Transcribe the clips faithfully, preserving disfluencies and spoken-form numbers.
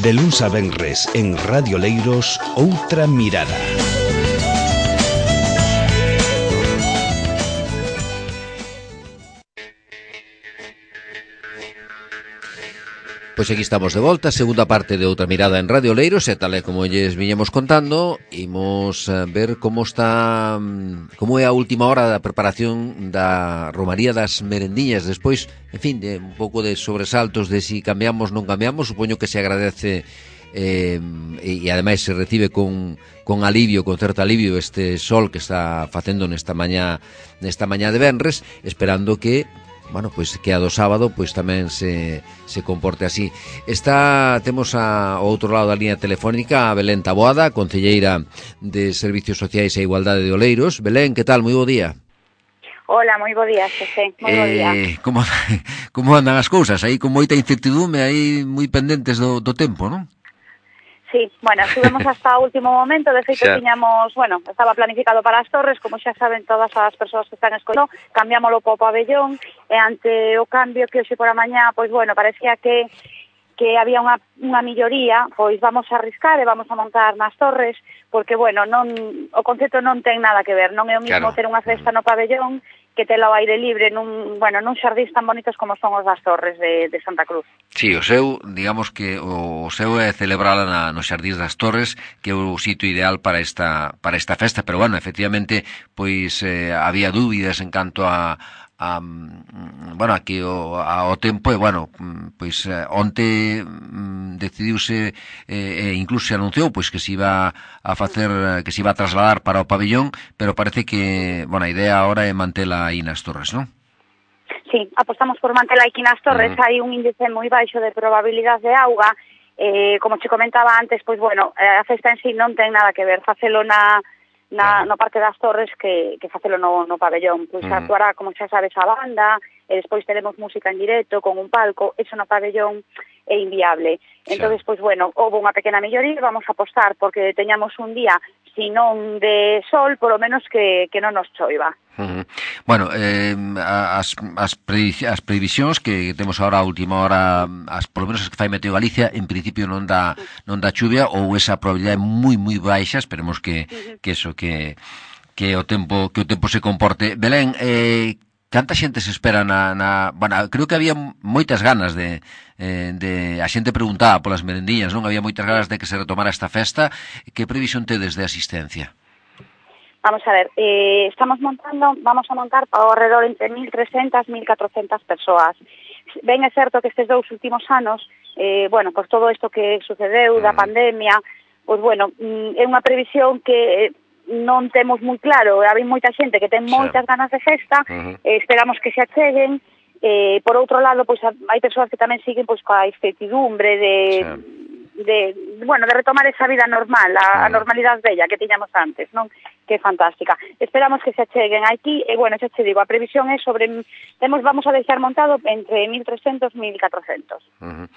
De luns a venres en Radio Leiros, Outra Mirada. Pois aquí estamos de volta, segunda parte de Outra Mirada en Radio Leiros, e tal e como lles viñemos contando, imos ver como está, como é a última hora da preparación da Romaría das Merendiñas. Despois, en fin, de un pouco de sobresaltos de si cambiamos, non cambiamos, supoño que se agradece eh, e, e ademais se recibe con, con alivio, con certo alivio este sol que está facendo nesta mañá, nesta mañá de venres, esperando que bueno, pois que a do sábado pois tamén se, se comporte así. Está, temos a, ao outro lado da línea telefónica a Belén Taboada, concelleira de Servicios Sociais e Igualdade de Oleiros. Belén, que tal? Moi bo día. Hola, moi bo día, Xosé, moi bo día. Eh, como, como andan as cousas? Aí con moita incertidume, aí moi pendentes do, do tempo, non? Sí, bueno, estuvemos hasta o último momento, de feito xa tiñamos, bueno, estaba planificado para as Torres, como xa saben todas as persoas que están escollendo, cambiámoslo po pabellón, e ante o cambio que hoxe por a mañá, pois bueno, parecía que que había unha, unha milloría, pois vamos a arriscar e vamos a montar nas Torres, porque, bueno, non o concepto non ten nada que ver, non é o mismo claro. ter unha festa no pabellón que tela ao aire libre nun, bueno, nun xardín tan bonitos como son os das Torres de, de Santa Cruz. Sí, o seu, digamos que o seu é celebrala na, no Xardín das Torres, que é o sitio ideal para esta para esta festa, pero bueno, efectivamente, pois eh, había dúbidas en canto a a, bueno, aquí o, ao tempo, e bueno, pois onte decidiuse e eh, incluso se anunciou pois que se iba a facer, que se iba a trasladar para o pabellón, pero parece que, bueno, a idea agora é mantela aí nas Torres, non? Sí, apostamos por mantela aquí nas Torres, uh-huh. hai un índice moi baixo de probabilidade de auga, eh, como che comentaba antes, pois bueno, a festa en sí non ten nada que ver, facelo na Na, no Parque das Torres que, que facelo no, no pabellón, pois uh-huh. actuará, como xa sabes, a banda, e despois teremos música en directo con un palco, eso no pabellón é inviable. Entón, sí. pois bueno, houve unha pequena melloría, vamos a apostar porque teñamos un día, si non de sol, polo menos que, que non nos choiva. Uh-huh. Bueno, eh, as, as, as previsións que temos agora a última hora, as polo menos as que fai Meteo Galicia, en principio non dá non dá chuvia, ou esa probabilidade moi moi baixa, esperemos que uh-huh. que eso que que o tempo que o tempo se comporte. Belén, eh canta xente se espera na, na... Bueno, creo que había moitas ganas de, eh, de... A xente preguntaba polas merendiñas, non? Había moitas ganas de que se retomara esta festa. Que previsión tedes de asistencia? Vamos a ver, eh, estamos montando, vamos a montar ao redor entre mil trescentas e mil catrocentas persoas. Ben é certo que estes dous últimos anos, eh, bueno, por todo isto que sucedeu da pandemia, pois bueno, é unha previsión que... non temos moi claro, hai moita xente que ten moitas ganas de festa, uh-huh. eh, esperamos que se acheguen, eh, por outro lado, pois hai persoas que tamén siguen pois coa incertidumbre de, sí. de, bueno, de retomar esa vida normal, a, uh-huh. a normalidade bella que tiñamos antes, non? Que é fantástica. Esperamos que se acheguen aquí, e bueno, xa che digo, a previsión é sobre, temos, vamos a deixar montado entre mil trescentos e mil catrocentos. Uh-huh.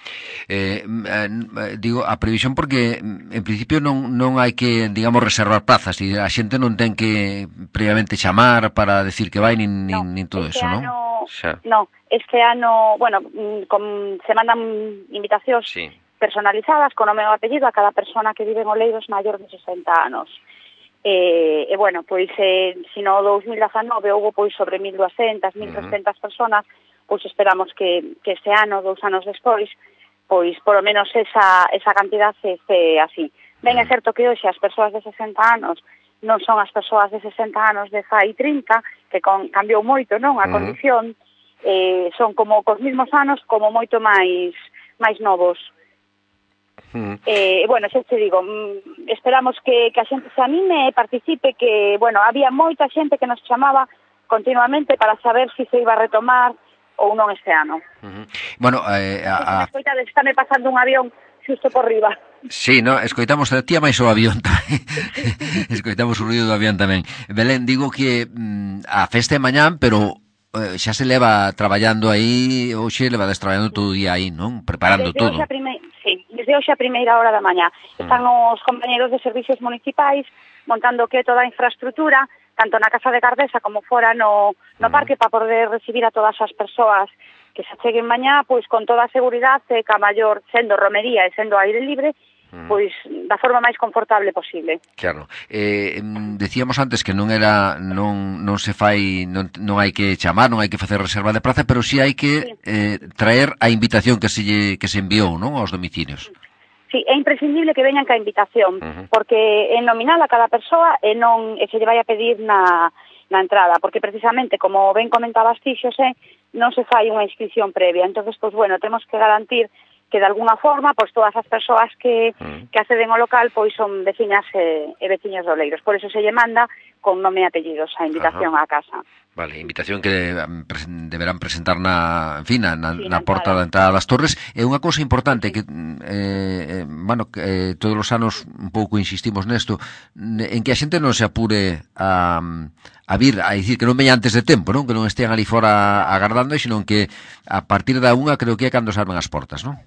Eh, eh, digo, a previsión porque en principio non non hai que, digamos, reservar plazas, e a xente non ten que previamente chamar para decir que vai nin, no, nin, nin todo este eso, ano, non? Xa. No, este ano, bueno, con, se mandan invitacións sí. personalizadas con o meu apellido a cada persona que vive en Oleiros maior de sesenta anos. E, e bueno, pois, eh, se no dous mil dezanove houve pois sobre mil duascentas, mil trescentas uh-huh. personas, pois esperamos que, que este ano, dous anos despois, pois polo menos esa, esa cantidad se este así. Ben, é certo que hoxe as persoas de sesenta anos non son as persoas de sesenta anos de fai trinta, que con, cambiou moito, non? A uh-huh. condición, eh, son como cos mismos anos, como moito máis máis novos. Uh-huh. Eh, bueno, xa te digo, esperamos que, que a xente se anime e participe, que, bueno, había moita xente que nos chamaba continuamente para saber se se iba a retomar ou non este ano. Uh-huh. Bueno, eh, a... a... Escoitades, está me pasando un avión xusto por riba. Sí, no, escoitamos a tía máis o avión tamén. Escoitamos o ruido do avión tamén. Belén, digo que mm, a festa é mañán, pero eh, xa se leva traballando aí, hoxe leva traballando todo o día aí, non? Preparando desde todo. Hoxe a prime... Sí, desde hoxe a primeira hora da mañá. Están mm. os compañeros de servicios municipais montando que toda a infraestrutura, tanto na Casa de Gardesa como fora no, no parque, para poder recibir a todas as persoas que se cheguen mañá, pois con toda a seguridade, que a maior, sendo romería e sendo aire libre, pois da forma máis confortable posible. Claro. Eh, decíamos antes que non era non non se fai non, non hai que chamar, non hai que facer reserva de praza, pero si sí hai que sí. eh, traer a invitación que se lle, que se enviou, non, aos domicilios. Sí, é imprescindible que veñan ca invitación, uh-huh. porque é nominal a cada persoa e non e se lle vai a pedir na na entrada, porque precisamente, como ben comentabas ti, Xosé, non se fai unha inscripción previa. Entonces, pois bueno, temos que garantir que de alguna forma, pois todas as persoas que, mm. que acceden ao local pois son veciñas e, e veciños de Oleiros. Por eso se lle manda con nome e apellidos a invitación á casa. Vale, invitación que deberán presentar na, en fin, na, na, sí, na porta da entrada das Torres. É unha cousa importante que, eh, bueno, que eh, todos os anos un pouco insistimos nesto, en que a xente non se apure a, a vir, a dicir que non veña antes de tempo, non? Que non estean ali fora agardando, sino que a partir da unha creo que é cando se abren as portas, non?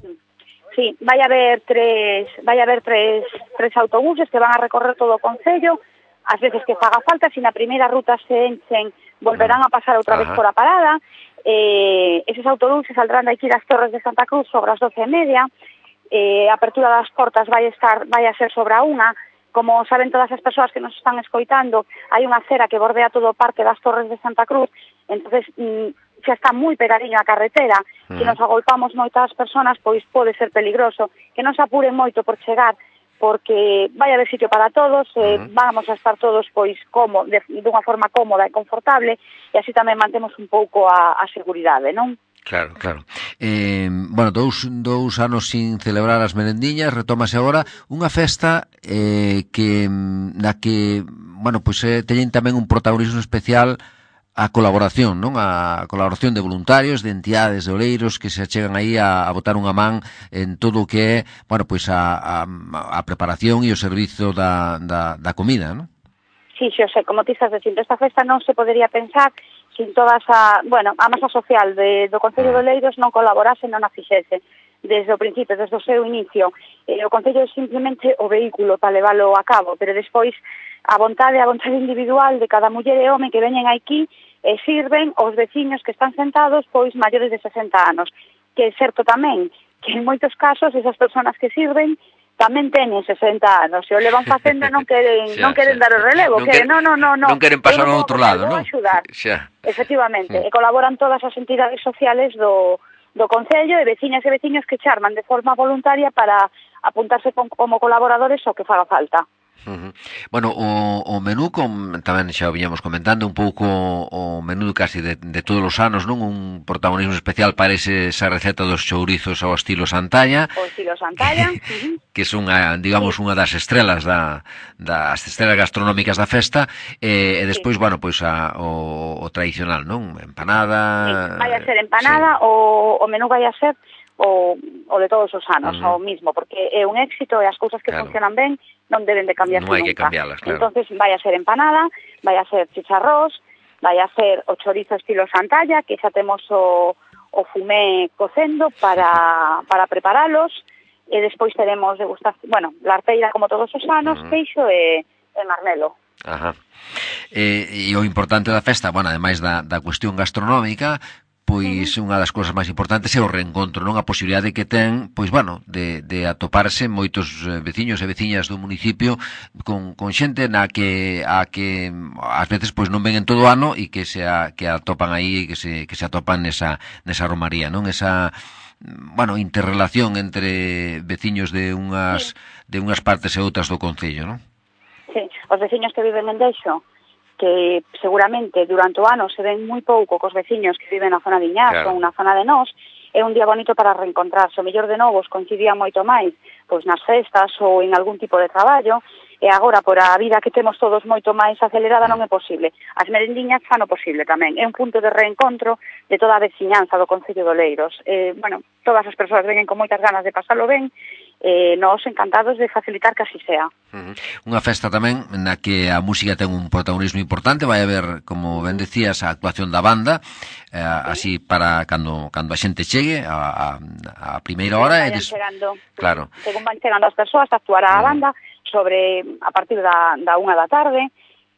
Sí, vai haber tres, vai haber tres, tres autobuses que van a recorrer todo o concello, ás veces que faga falta, se na primeira ruta se enchen, volverán a pasar outra vez por a parada. Eh, eses autobuses saldrán de aquí das Torres de Santa Cruz sobre as doce e media. Eh, a apertura das portas vai estar vai a ser sobre a unha. Como saben todas as persoas que nos están escoitando, hai unha acera que bordea todo o parque das Torres de Santa Cruz, entonces mm, xa está moi pegadiño a carretera. Se nos agolpamos moitas persoas, pois pode ser peligroso. Que non se apuren moito por chegar, porque vai haber sitio para todos, eh, uh-huh. vamos a estar todos pois como de, dunha forma cómoda e confortable, e así tamén mantemos un pouco a, a seguridade, non? Claro, claro. Eh, bueno, dous, dous anos sin celebrar as merendiñas, retómase agora unha festa eh, que na que, bueno, pois eh, teñen tamén un protagonismo especial a colaboración, non? A colaboración de voluntarios, de entidades de Oleiros que se achegan aí a, a botar unha man en todo o que é, bueno, pois a, a, a preparación e o servizo da, da, da comida, non? Sí, Xosé, como ti estás dicindo, esta festa non se podería pensar sin toda esa, bueno, a masa social de, do Concello de Oleiros non colaborase, non a fixese desde o principio, desde o seu inicio. Eh, o Concello é simplemente o vehículo para leválo a cabo, pero despois a vontade, a vontade individual de cada muller e home que veñen aquí e sirven os veciños que están sentados pois maiores de sesenta anos, que é certo tamén que en moitos casos esas persoas que sirven tamén teñen sesenta anos, se o levan facendo non queren xa, non queren xa. dar o relevo, non que non, non, non, non, non queren pasar ao outro lado, non? Xa. Efectivamente, mm. e colaboran todas as entidades sociales do do Concello e veciñas e veciños que charman de forma voluntaria para apuntarse como colaboradores ao que faga falta. Uh-huh. Bueno, o, o menú com, tamén xa o viñamos comentando un pouco o menú casi de, de todos os anos, non? Un protagonismo especial parece esa receta dos chourizos ao estilo Santalla, o estilo Santalla uh-huh. que é unha, digamos, unha das estrelas da, das estrelas gastronómicas da festa, e, e despois, sí. bueno, pois a, o, o tradicional, non? Empanada... Sí, vai a ser empanada, sí. o, o menú vai a ser o, o de todos os anos, uh-huh. o mismo, porque é un éxito e as cousas que claro. funcionan ben non deben de cambiarse non hai nunca. Que cambiarlas, claro. Entonces vai a ser empanada, vai a ser chicharrós, vai a ser o chorizo estilo Santalla, que xa temos o, o fumé cocendo para, para preparalos, e despois teremos degustación, bueno, larteira como todos os anos, uh-huh. peixo e, e marmelo. Ajá. E, e o importante da festa, bueno, ademais da, da cuestión gastronómica, pois unha das cousas máis importantes é o reencontro, non? A posibilidade que ten, pois, bueno, de, de atoparse moitos veciños e veciñas do municipio con, con xente na que a que ás veces pois non ven en todo o ano e que se a, que atopan aí, que se que se atopan nesa nesa romaría, non? Esa, bueno, interrelación entre veciños de unhas de unhas partes e outras do concello, non? Sí, os veciños que viven en Deixo, que seguramente durante o ano se ven moi pouco cos veciños que viven na zona de Iñaz claro. ou na zona de Nós, é un día bonito para reencontrarse. O mellor de novos coincidían moito máis pois nas festas ou en algún tipo de traballo, e agora, por a vida que temos todos moito máis acelerada, non é posible. As merendiñas fan o posible tamén. É un punto de reencontro de toda a veciñanza do Concello de Oleiros. Eh, bueno, todas as persoas veñen con moitas ganas de pasarlo ben, eh, nós encantados de facilitar que así sea. Uh-huh. Unha festa tamén na que a música ten un protagonismo importante, vai haber, como ben decías, a actuación da banda, eh, así para cando cando a xente chegue a, a, a primeira hora e des... chegando, claro. Según van chegando as persoas, actuará uh-huh. a banda sobre a partir da, da unha da tarde,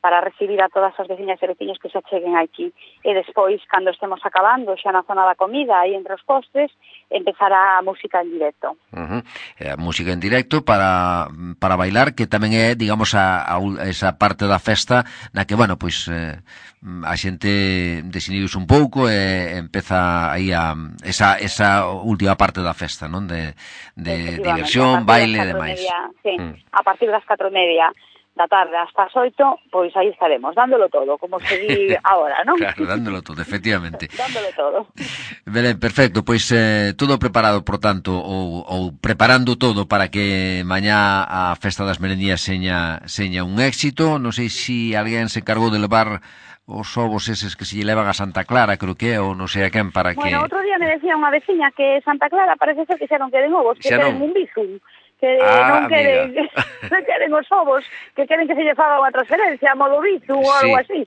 para recibir a todas as veciñas e veciños que se cheguen aquí. E despois, cando estemos acabando, xa na zona da comida, aí entre os postres, empezará a música en directo. Uh-huh. A música en directo para para bailar, que tamén é, digamos, a, a esa parte da festa na que, bueno, pois eh, a xente desinhibuse un pouco e empeza aí a esa, esa última parte da festa, non? De, de diversión, baile e demais. Sí, mm. A partir das catro e media da tarde hasta as oito, pois aí estaremos, dándolo todo, como se di agora, non? Claro, dándolo todo, efectivamente. dándolo todo. Belén, perfecto, pois eh, todo preparado, por tanto, ou, ou preparando todo para que mañá a Festa das Merendías seña, seña un éxito. Non sei se alguén se encargou de levar os ovos eses que se lle levan a Santa Clara, creo que é, ou non sei a quen, para que... Bueno, outro día me decía unha veciña que Santa Clara parece ser que xa non queden ovos, que queden un bizum. Que ah, non queren, non queren os ovos, que queren que se lle faga unha transferencia a modo bizu ou sí, algo así.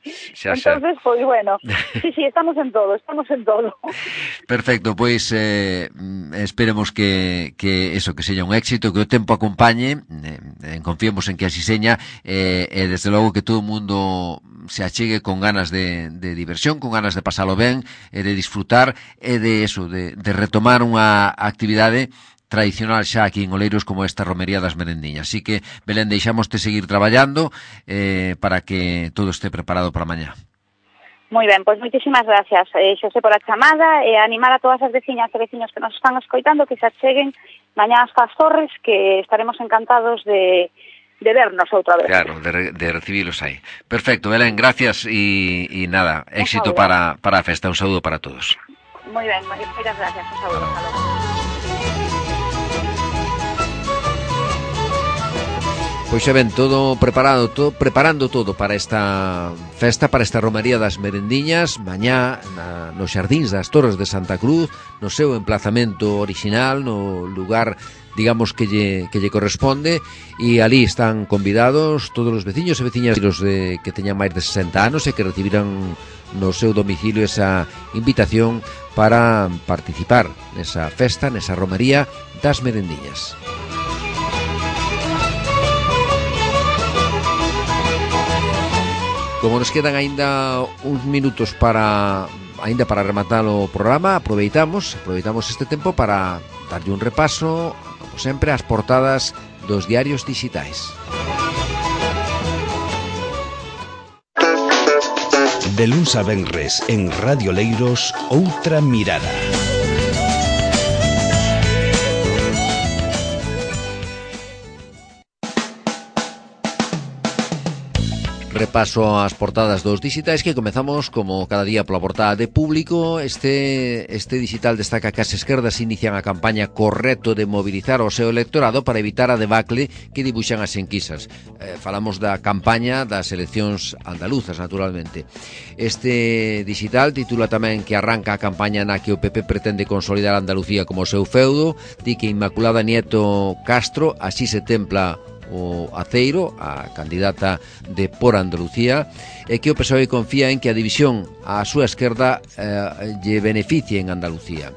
Entonces, pois pues, bueno, sí, sí, estamos en todo, estamos en todo. Perfecto, pois eh, esperemos que, que eso, que seña un éxito, que o tempo acompañe, eh, confiemos en que así seña, eh, e desde logo que todo o mundo se achegue con ganas de, de diversión, con ganas de pasalo ben, e de disfrutar, e de eso, de, de retomar unha actividade tradicional xa aquí en Oleiros como esta romería das merendiñas. Así que, Belén, deixámoste seguir traballando eh, para que todo este preparado para mañá. Moi ben, pois moitísimas gracias, eh, Xosé, por a chamada e animar a todas as veciñas e veciños que nos están escoitando que se acheguen mañá hasta as Torres, que estaremos encantados de, de vernos outra vez. Claro, de, de recibilos aí. Perfecto, Belén, gracias e, e nada, éxito para, para a festa. Un saúdo para todos. Moi ben, moitas gracias, un saúdo. Hasta logo. Pois xa ven, todo preparado, todo, preparando todo para esta festa, para esta romería das merendiñas, mañá na, nos xardíns das Torres de Santa Cruz, no seu emplazamento orixinal, no lugar, digamos, que lle, que lle corresponde, e ali están convidados todos os veciños e veciñas de, que teñan máis de sesenta anos e que recibiran no seu domicilio esa invitación para participar nesa festa, nesa romería das merendiñas. Como nos quedan aínda uns minutos para aínda para rematar o programa, aproveitamos, aproveitamos este tempo para darlle un repaso, como sempre, ás portadas dos diarios dixitais. De luns a venres en Radio Leiros, outra mirada. Repaso as portadas dos dixitais, que comezamos como cada día pola portada de Público. Este este digital destaca que as esquerdas inician a campaña correcto de mobilizar o seu electorado para evitar a debacle que dibuixan as enquisas. Eh, falamos da campaña das eleccións andaluzas, naturalmente. Este digital titula tamén que arranca a campaña na que o P P pretende consolidar Andalucía como seu feudo, di que Inmaculada Nieto Castro así se templa o Aceiro, a candidata de Por Andalucía, e que o P S O E confía en que a división á súa esquerda eh, lle beneficie en Andalucía.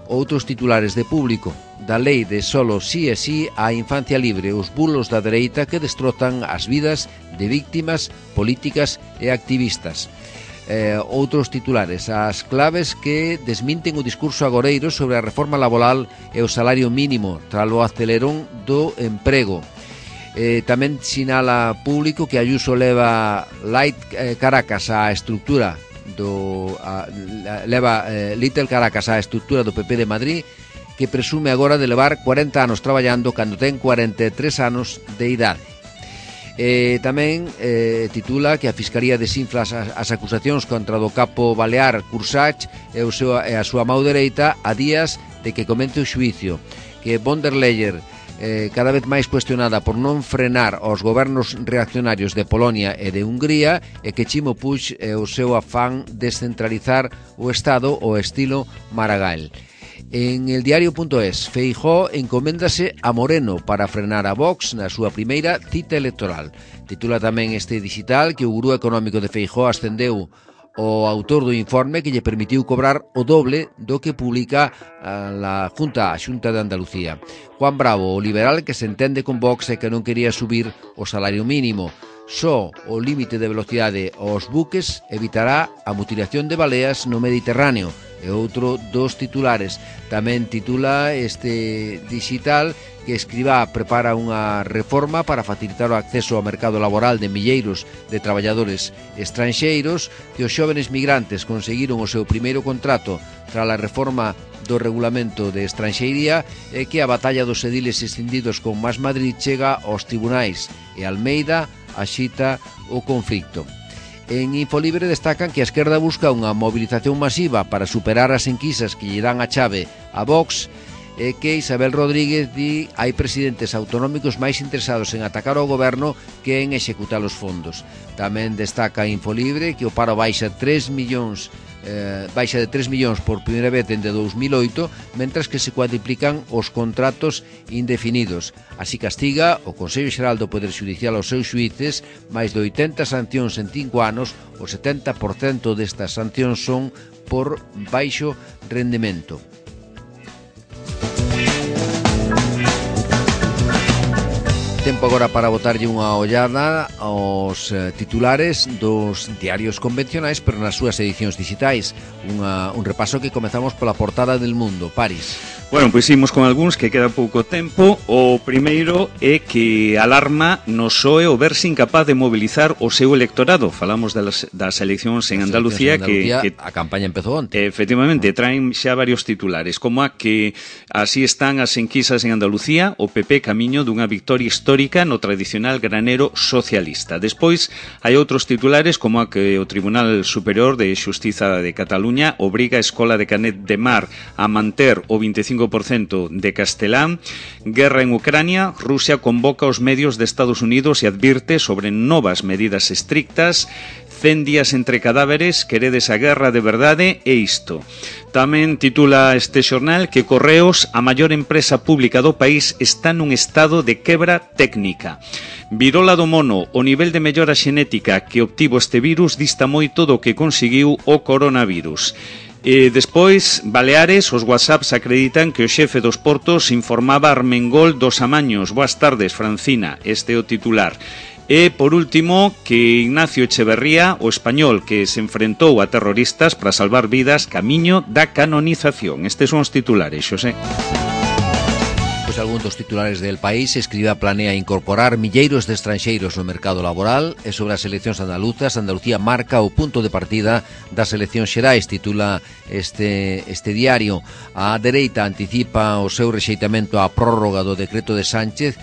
Outros titulares de Público: da lei de solo sí e sí á infancia libre, os bulos da dereita que destrozan as vidas de víctimas políticas e activistas. Eh, outros titulares: as claves que desminten o discurso agoreiro sobre a reforma laboral e o salario mínimo tras o acelerón do emprego. Eh, tamén sinala Público que Ayuso leva Light eh, Caracas á estructura do a, leva eh, Little Caracas á estructura do P P de Madrid, que presume agora de levar cuarenta anos traballando cando ten cuarenta e tres anos de idade. Eh, tamén eh, titula que a Fiscalía desinfla as, as acusacións contra do capo balear Cursach e, o seu, e a súa mão dereita a días de que comece o xuicio, que von der Leyen, Eh, cada vez máis cuestionada por non frenar os gobernos reaccionarios de Polonia e de Hungría, e que Chimo Puig e o seu afán descentralizar o Estado ao estilo Maragall. En el diario.es, Feijóo encoméndase a Moreno para frenar a Vox na súa primeira cita electoral. Titula tamén este digital que o gurú económico de Feijóo ascendeu o autor do informe que lle permitiu cobrar o doble do que publica a Junta, a Xunta de Andalucía. Juan Bravo, o liberal que se entende con Vox e que non quería subir o salario mínimo. Só o límite de velocidade aos buques evitará a mutilación de baleas no Mediterráneo. É outro dos titulares. Tamén titula este digital que Escrivá prepara unha reforma para facilitar o acceso ao mercado laboral de milleiros de traballadores estranxeiros, que os xóvenes migrantes conseguiron o seu primeiro contrato tras a reforma do regulamento de estranxeiría e que a batalla dos ediles escindidos con Más Madrid chega aos tribunais e Almeida axita o conflicto. En Infolibre destacan que a esquerda busca unha movilización masiva para superar as enquisas que lle dan a chave a Vox e que Isabel Rodríguez di hai presidentes autonómicos máis interesados en atacar ao goberno que en executar os fondos. Tamén destaca Infolibre que o paro baixa tres millóns eh, baixa de tres millóns por primeira vez dende dous mil oito, mentras que se cuadriplican os contratos indefinidos. Así castiga o Consello Xeral do Poder Xudicial aos seus xuíces máis de oitenta sancións en cinco anos. O setenta por cento destas sancións son por baixo rendemento. Tempo agora para botarlle unha ollada aos eh, titulares dos diarios convencionais, pero nas súas edicións digitais. Unha, un repaso que comezamos pola portada del Mundo. Paris. Bueno, pois imos con algúns que queda pouco tempo. O primeiro é que alarma no P S O E o verse incapaz de mobilizar o seu electorado. Falamos das, das eleccións en Andalucía, en Andalucía que, que a campaña empezou onte. Efectivamente, traen xa varios titulares, como a que así están as enquisas en Andalucía, o P P camiño dunha victoria histórica no tradicional granero socialista. Despois hai outros titulares, como a que o Tribunal Superior de Xustiza de Cataluña obriga a Escola de Canet de Mar a manter o vinte e cinco por cento de castelán. Guerra en Ucrania, Rusia convoca aos medios de Estados Unidos e advirte sobre novas medidas estrictas. cen días entre cadáveres, queredes a guerra de verdade, e isto. Tamén titula este xornal que Correos, a maior empresa pública do país, está nun estado de quebra técnica. Virola do mono, o nivel de mellora xenética que obtivo este virus dista moito do que conseguiu o coronavirus. E despois, Baleares, os WhatsApps acreditan que o xefe dos portos informaba a Armengol dos amaños. Boas tardes, Francina, este é o titular. E, por último, que Ignacio Echeverría, o español que se enfrentou a terroristas para salvar vidas, camiño da canonización. Estes son os titulares, Xosé. Pois algún dos titulares del País. Escriba planea incorporar milleiros de estranxeiros no mercado laboral. E sobre as eleccións andaluzas, Andalucía marca o punto de partida das eleccións xerais, titula este, este diario. A dereita anticipa o seu rexeitamento á prórroga do decreto de Sánchez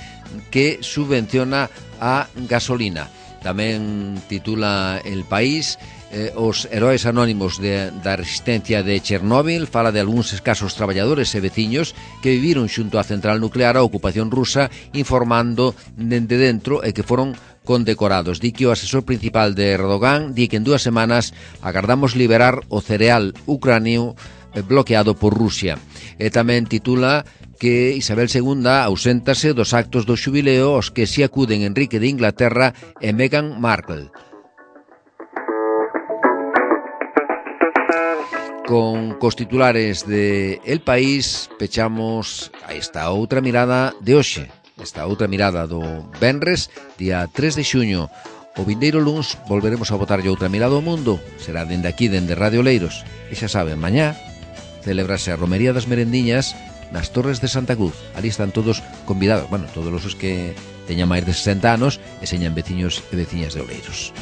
que subvenciona a gasolina. Tamén titula El País, eh, os heróis anónimos de, da resistencia de Chernóbil. Fala de algúns escasos traballadores e veciños que viviron xunto á central nuclear a ocupación rusa, informando dende dentro e que foron condecorados. Di que o asesor principal de Erdogan di que en dúas semanas agardamos liberar o cereal ucranio bloqueado por Rusia. E tamén titula que Isabel segunda auséntase dos actos do xubileo aos que si acuden Enrique de Inglaterra e Meghan Markle. Con cos titulares de El País pechamos a esta outra mirada de hoxe, esta outra mirada do venres, día tres de xuño. O vindeiro luns volveremos a botarlle outra mirada ao mundo. Será dende aquí, dende Radio Leiros. E xa saben, mañá celebrase a Romería das Merendiñas nas Torres de Santa Cruz. Ali están todos convidados, bueno, todos os que teñan máis de sesenta anos e señan veciños e veciñas de Oleiros.